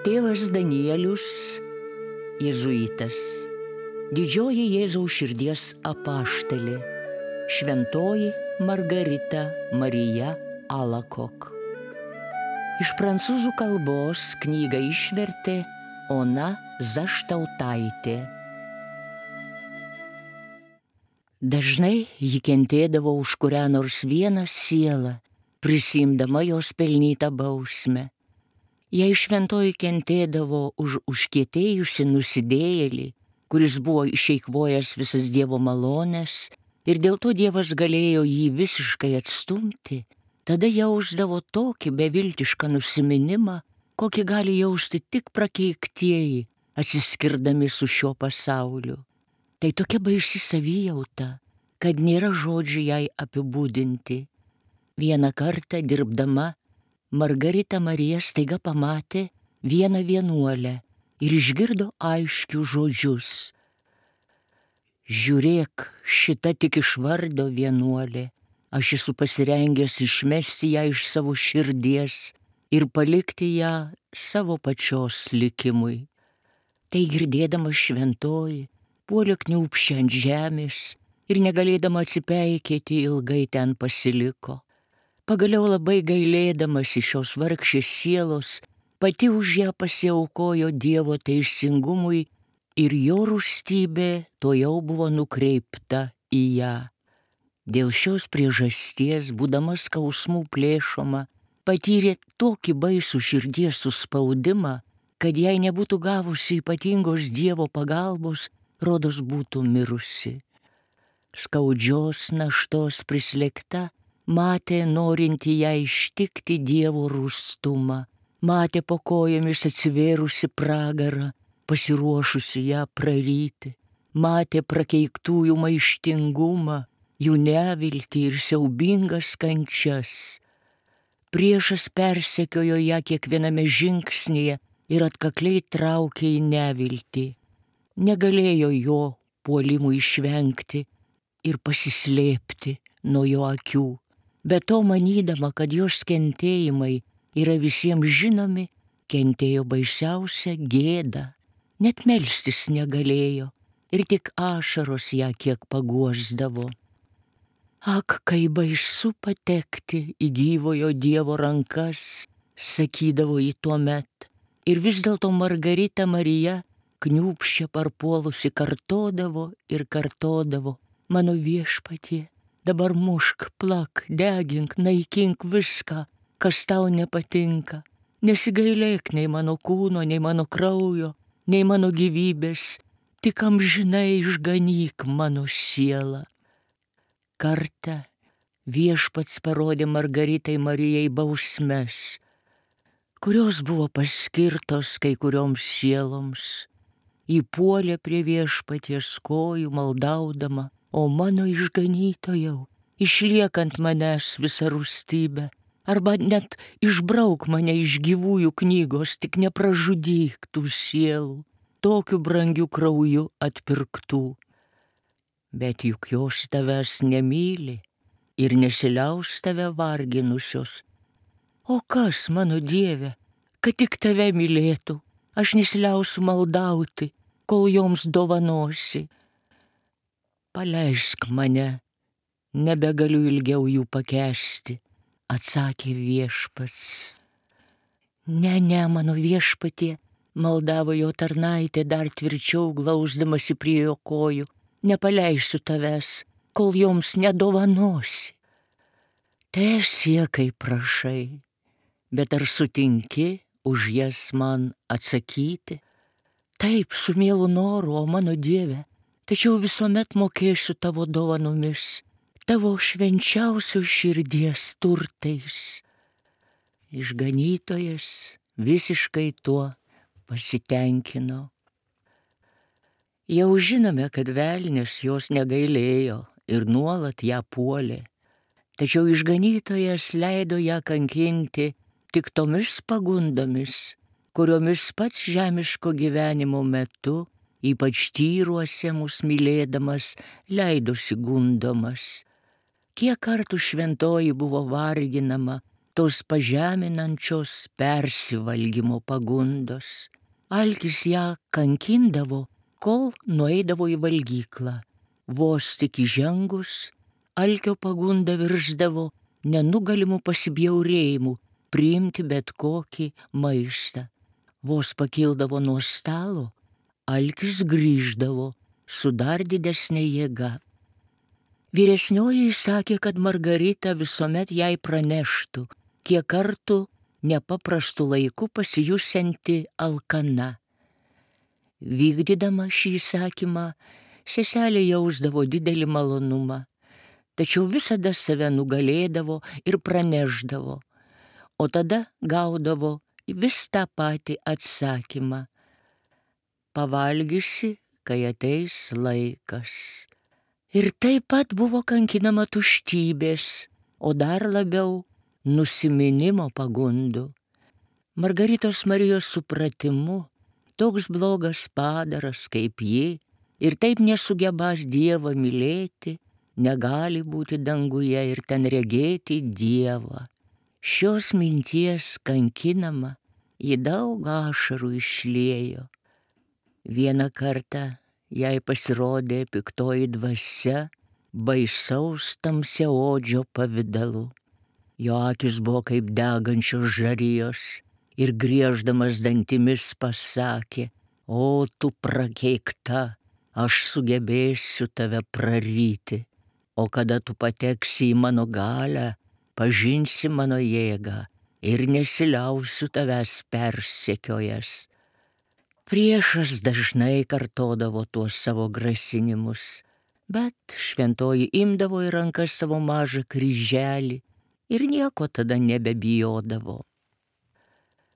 Tėvas Danielius, jėzuitas, didžioji Jėzaus širdies apaštalė, šventoji Margarita Marija Alacoque. Iš prancūzų kalbos knygą išvertė Ona Zaštautaitė. Dažnai ji kentėdavo už kurią nors vieną sielą, prisiimdama jos pelnytą bausmę. Jei šventoji kentėdavo už užkietėjusi nusidėjėlį, kuris buvo išeikvojęs visas Dievo malones, ir dėl to Dievas galėjo jį visiškai atstumti, tada jausdavo tokį beviltišką nusiminimą, kokį gali jausti tik prakeiktieji, atsiskirdami su šiuo pasauliu. Tai tokia baisi savijauta, kad nėra žodžių jai apibūdinti. Vieną kartą dirbdama, Margarita Marija staiga pamatė vieną vienuolę ir išgirdo aiškius žodžius. Žiūrėk, šita tik iš vardo vienuolė, aš esu pasirengęs išmesti ją iš savo širdies ir palikti ją savo pačios likimui. Tai girdėdama šventoji, puolė kniūbsčia ant žemės ir negalėdama atsipeikėti ilgai ten pasiliko. Pagaliau labai gailėdamas iš šios vargšės sielos, pati už ją pasiaukojo Dievo teisingumui ir jo rūstybė tuojau buvo nukreipta į ją. Dėl šios priežasties, būdama skausmų plėšoma, patyrė tokį baisų širdies suspaudimą, kad jei nebūtų gavusi ypatingos Dievo pagalbos, rodos būtų mirusi. Skaudžios naštos prislėgta, matė norinti ją ištikti Dievo rūstumą, matė po kojomis atsivėrusi pragarą, pasiruošusi ją praryti, matė prakeiktųjų maištingumą, jų neviltį ir siaubingas kančias. Priešas persekiojo ją kiekviename žingsnyje ir atkakliai traukė į neviltį. Negalėjo jo puolimų išvengti ir pasislėpti nuo jo akių. Be to, manydama, kad jos kentėjimai yra visiems žinomi, kentėjo baisiausią gėdą. Net melstis negalėjo ir tik ašaros ją kiek paguosdavo. Ak, kai baisu patekti į gyvojo Dievo rankas, sakydavo ji tuomet. Ir vis dėlto Margarita Marija kniūbsčia parpuolusi kartodavo ir kartodavo: mano viešpatie, dabar mušk, plak, degink, naikink viską, kas tau nepatinka. Nesigailėk nei mano kūno, nei mano kraujo, nei mano gyvybės, tik amžinai išganyk mano sielą. Kartą viešpats parodė Margaritai Marijai bausmes, kurios buvo paskirtos kai kurioms sieloms. Ji puolė prie viešpaties kojų maldaudama: o mano išganytojau, išliekant manęs visą rūstybę, arba net išbrauk mane iš gyvųjų knygos, tik nepražudyk tų sielų, tokiu brangiu krauju atpirktų. Bet juk jos tavęs nemyli ir nesiliaus tave varginusios. O kas, mano Dieve, kad tik tave mylėtų, aš nesiliausiu maldauti, kol joms dovanosi. Paleisk mane, nebegaliu ilgiau jų pakęsti, atsakė viešpats. Ne, mano viešpatie, maldavo jo tarnaitė dar tvirčiau glausdamasi prie jo kojų, nepaleisiu tavęs, kol joms nedovanosi. Teesie, kaip prašai, bet ar sutinki už jas man atsakyti? Taip, su mielu noru, o mano Dieve, tačiau visuomet mokėsiu tavo dovanomis, tavo švenčiausios širdies turtais. Išganytojas visiškai tuo pasitenkino. Jau žinome, kad velnias jos negailėjo ir nuolat ją puolė, tačiau išganytojas leido ją kankinti tik tomis pagundomis, kuriomis pats žemiško gyvenimo metu, ypač tyruose mus mylėdamas, leidosi gundomas. Kiek kartų šventoji buvo varginama tos pažeminančios persivalgymo pagundos. Alkis ją kankindavo, kol nueidavo į valgyklą. Vos tik įžengus, alkio pagunda virsdavo nenugalimų pasibjaurėjimų priimti bet kokį maistą. Vos pakildavo nuo stalo, alkis grįždavo su dar didesnė jėga. Vyresnioji sakė, kad Margarita visuomet jai praneštų, kiek kartų nepaprastu laiku pasijusianti alkana. Vykdydama šį įsakymą, seselė jausdavo didelį malonumą, tačiau visada save nugalėdavo ir praneždavo, o tada gaudavo vis tą patį atsakymą: pavalgysi, kai ateis laikas. Ir taip pat buvo kankinama tuštybės, o dar labiau nusiminimo pagundų. Margaritos Marijos supratimu, toks blogas padaras kaip ji ir taip nesugebąs Dievą mylėti, negali būti danguje ir ten regėti Dievą. Šios minties kankinama, ji daug ašarų išliejo. Vieną kartą jai pasirodė piktoji dvasia baisaus tamsiaodžio pavidalu. Jo akis buvo kaip degančios žarijos ir grieždamas dantimis pasakė: o tu prakeikta, aš sugebėsiu tave praryti, o kada tu pateksi į mano galią, pažinsi mano jėgą ir nesiliausiu tavęs persekiojęs. Priešas dažnai kartodavo tuos savo grasinimus, bet šventoji imdavo į rankas savo mažą kryželį ir nieko tada nebebijodavo.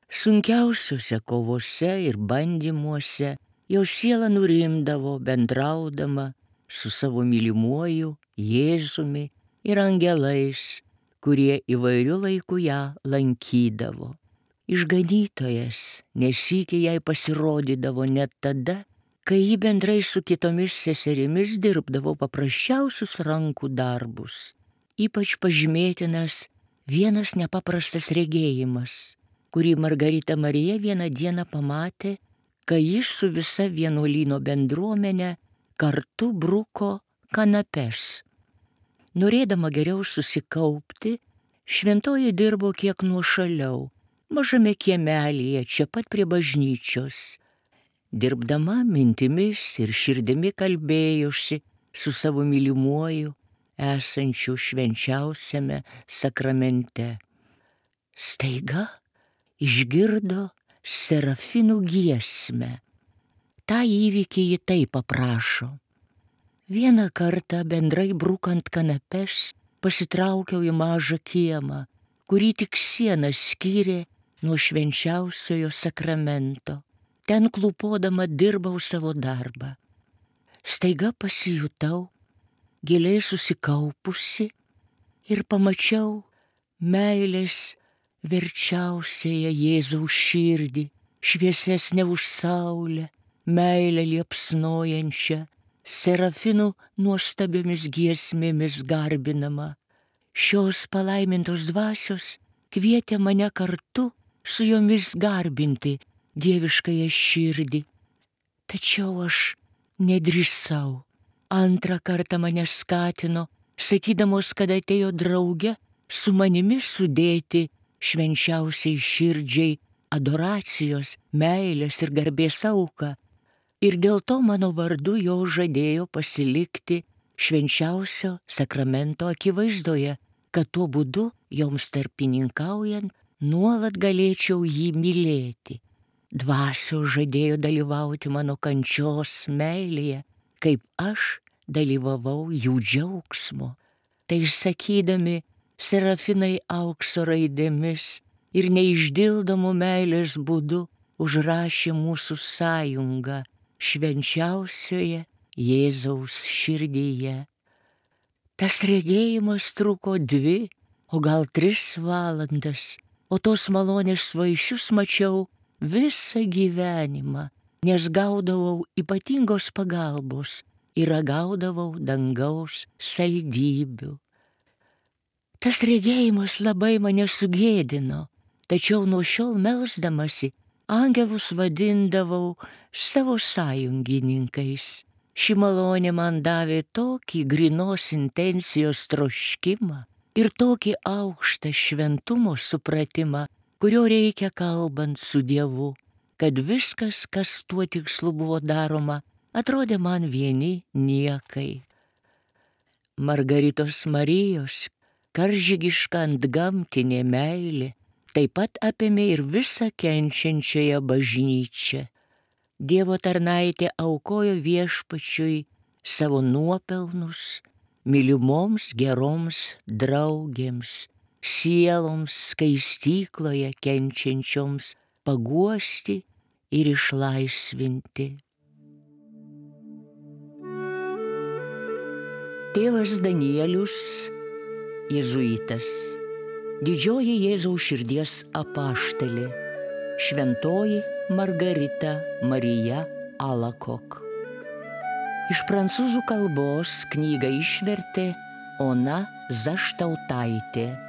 Sunkiausiuose kovose ir bandymuose jo siela nurimdavo bendraudama su savo mylimuoju Jėzumi ir angelais, kurie įvairiu laiku ją lankydavo. Išganytojas nesykį jai pasirodydavo net tada, kai ji bendrai su kitomis seserimis dirbdavo paprasčiausius rankų darbus. Ypač pažymėtinas vienas nepaprastas regėjimas, kurį Margarita Marija vieną dieną pamatė, kai jis su visa vienuolyno bendruomenė kartu bruko kanapes. Norėdama geriau susikaupti, šventoji dirbo kiek nuošaliau, mažame kiemelyje čia pat prie bažnyčios. Dirbdama mintimis ir širdimi kalbėjosi su savo mylimuoju, esančiu švenčiausiame sakramente. Staiga išgirdo serafinų giesmę. Ta įvykį ji taip aprašo: vieną kartą bendrai brukant kanapes pasitraukiau į mažą kiemą, kurį tik siena skyrė nuo švenčiausiojo sakramento. Ten klūpodama dirbau savo darbą. Staiga pasijutau giliai susikaupusi ir pamačiau meilės verčiausiąją Jėzaus širdį, šviesesnę už saulę, meilę liepsnojančią, serafinų nuostabiomis giesmėmis garbinama. Šios palaimintos dvasios kvietė mane kartu su jomis garbinti dieviškąją širdį. Tačiau aš nedrįsau. Antrą kartą mane skatino, sakydamos, kad atėjo drauge su manimi sudėti švenčiausiai širdžiai adoracijos, meilės ir garbės auką. Ir dėl to mano vardu jo žadėjo pasilikti švenčiausio sakramento akivaizdoje, kad tuo būdu joms tarpininkaujant nuolat galėčiau jį mylėti. Dvasios žadėjo dalyvauti mano kančios meilėje, kaip aš dalyvavau jų džiaugsmo. Tai sakydami, serafinai aukso raidėmis ir neišdildomų meilės būdu užrašė mūsų sąjungą švenčiausioje Jėzaus širdyje. Tas regėjimas truko 2, o gal 3 valandas, o tos malonės vaisius mačiau visą gyvenimą, nes gaudavau ypatingos pagalbos ir ragaudavau dangaus saldybių. Tas regėjimas labai mane sugėdino, tačiau nuo šiol melsdamasi angelus vadindavau savo sąjungininkais. Ši malonė man davė tokį grynos intencijos troškimą ir tokį aukštą šventumo supratimą, kurio reikia kalbant su Dievu, kad viskas, kas tuo tikslu buvo daroma, atrodė man vieni niekai. Margaritos Marijos karžygiška antgamtinė meilė taip pat apėmė ir visą kenčiančiąją bažnyčią. Dievo tarnaitė aukojo Viešpačiui savo nuopelnus mylimoms geroms draugėms, sieloms skaistykloje kenčiančioms paguosti ir išlaisvinti. Tėvas Danielius, jėzuitas, didžioji Jėzaus širdies apaštalė, šventoji Margarita Marija Alakok. Iš prancūzų kalbos knygą išvertė Ona Zaštautaitė.